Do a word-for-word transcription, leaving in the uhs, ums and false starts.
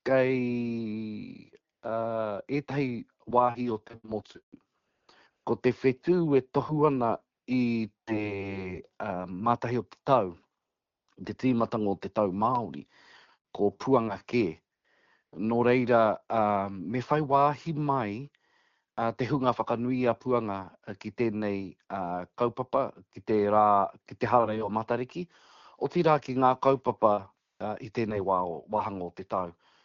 Kei uh, ētahi wāhi o te motu, ko te whetū e tohu ana i te uh, mātahi o te tau, te tīmatanga o te tau Māori, ko Puanga kē. Nō reira, uh, me whai wāhi mai uh, te hunga whakanui a Puanga ki tēnei uh, kaupapa, ki te, rā, ki te hararei o Matariki, otirā ki ngā kaupapa uh, i tēnei wā, wāhanga o te tau.